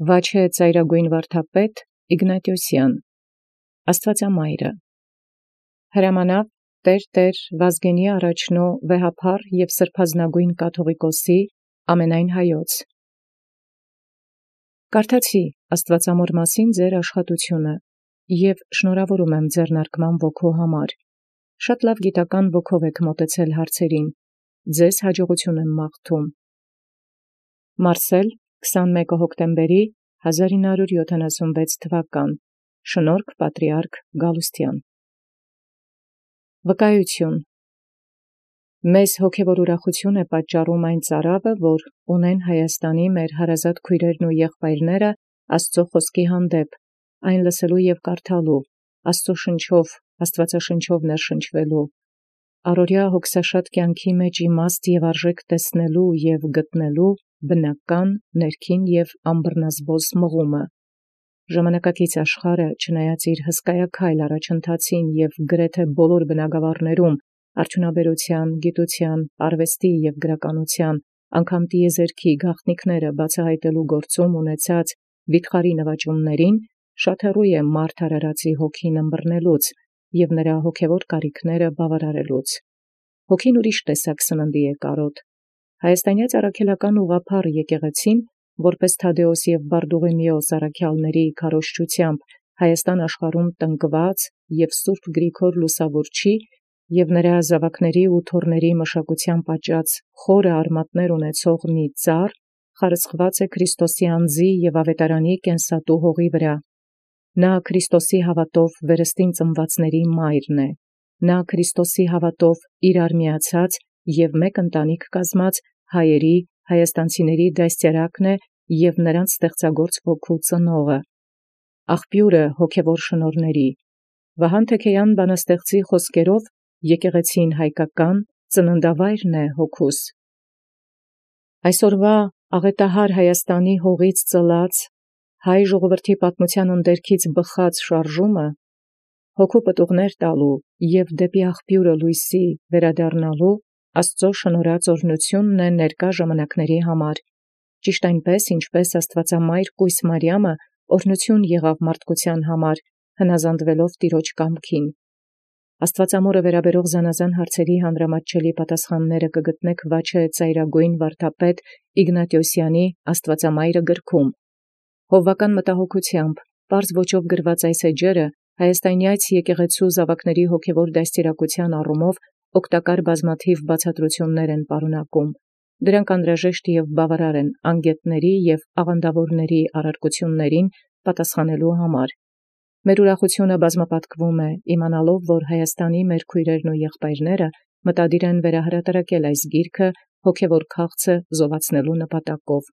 Վաչե ծայրագույն վարդապետ Իգնատիոսյան, Աստուածամայրը, հրամանավ Տեր Վազգենի առաջնո վեհափառ և սրբազնագույն կաթողիկոսի ամենայն Հայոց։ Կարդացի Աստուածամոր մասին ձեր աշխատությունը և շնորհավորում եմ ձեռնարկման ոգու համար։ Շատ լավ գիտական ոգով եք մոտեցել հարցերին, ձեզ հաջողություն եմ մաղթում։ Մարսել 21 հոկտեմբերի 1976 թվական, Շնորհք Պատրիարք Գալուստյան։ Վկայություն։ Մեզ հոգևոր ուրախություն է պատճառում այն ծարավը, որ ունեն Հայաստանի մեր հարազատ քույրերն ու եղբայրները Աստծո խոսքի հանդեպ, այն լսելու և կարդալու, Աստծո շնչով, Աստվածաշնչով ներշնչվելու, առօրյա հոգսաշատ կյանքի մեջ իմաստ և արժեք տեսնելու և գտնելու բնական, ներքին և ամբռնազբոս մղումը։ Ժամանակակից աշխարհը, չնայած իր հսկայաքայլ առաջընթացին և գրեթե բոլոր բնագավառներում արդյունաբերության, գիտության, արվեստի և գրականության, անգամ տիեզերքի գաղտնիքները բացահայտելու գործում ունեցած վիթխարի նվաճումներին, շատ հեռու է մարդ արարածի հոգին ըմբռնելուց և նրա հոգևոր կարիքները բավարարելուց։ Հոգին ուրիշ տեսակ սննդի է կարոտ։ Հայաստանյաց առաքելական ուղղափառ եկեղեցին, որպես Թադեոս և Բարդուղիմեոս առաքյալների քարոզչությամբ Հայաստան աշխարհում տնկված և Սուրբ Գրիգոր Լուսավորչի և նրա զավակների ու թոռների մշակության պատճած խորը արմատներ ունեցող մի ծառ, խարսխված է Քրիստոսի անձի և ավետարանի կենսատու հողի վրա։ Նա Քրիստոսի հավատով վերստին ծնվածների մայրն է։ Նա Քրիստոսի հավատով իրար միացած և մեկ ընտանիք կազմած հայերի, հայաստանցիների դաստիարակն է և նրանց ստեղծագործ ոգու ծնողը, աղբյուրը հոգևոր շնորհների։ Վահան Թեքեյան բանաստեղծի խոսքերով եկեղեցին հայկական ծննդավայրն է հոգուս։ Այսօրվա աղետահար Հայաստանի հողից ծլած, հայ ժողովրդի պատմության ընդերքից բխած շարժումը հոգու պտուղներ տալու և դեպի աղբյուրը լույսի վերադառնալու Աստծո շնորհած օրհնությունն է ներկա ժամանակների համար, ճիշտ այնպես, ինչպես Աստվածամայր Կույս Մարիամը օրհնություն եղավ մարդկության համար, հնազանդվելով Տիրոջ կամքին։ Աստվածամորը վերաբերող զանազան հարցերի հանրամատչելի պատասխանները կգտնեք Վաչե ծայրագույն վարդապետ Իգնատիոսյանի Աստվածամայրը գրքում։ Հովվական մտահոգությամբ, պարզ ոճով գրված այս էջերը հայաստանյաց եկեղեցու զավակների հոգևոր դաստիարակության առումով օգտակար բազմաթիվ բացատրություններ են պարունակում։ Դրանք անհրաժեշտ և բավարար են անգետների և աղանդավորների առարկություններին պատասխանելու համար։ Մեր ուրախությունը բազմապատկվում է, իմանալով, որ Հայաստանի մեր քույրերն ու եղբայրները մտադիր են վերահրատարակել այս գիրքը հոգևոր քաղցը զովացնելու նպատակով։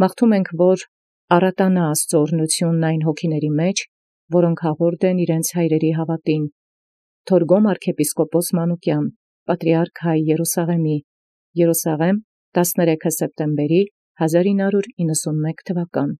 Մաղթում ենք, որ առատանա Աստծո օրհնությունն այն հոգիների մեջ, որոնք հաղորդ են իրենց հայրերի հավատին։ Թորգոմ arczepiskopos Մանուկյան, Պատրիարք Հայ Երուսաղեմի, Երուսաղեմ 13 սեպտեմբերի 1991 թվական։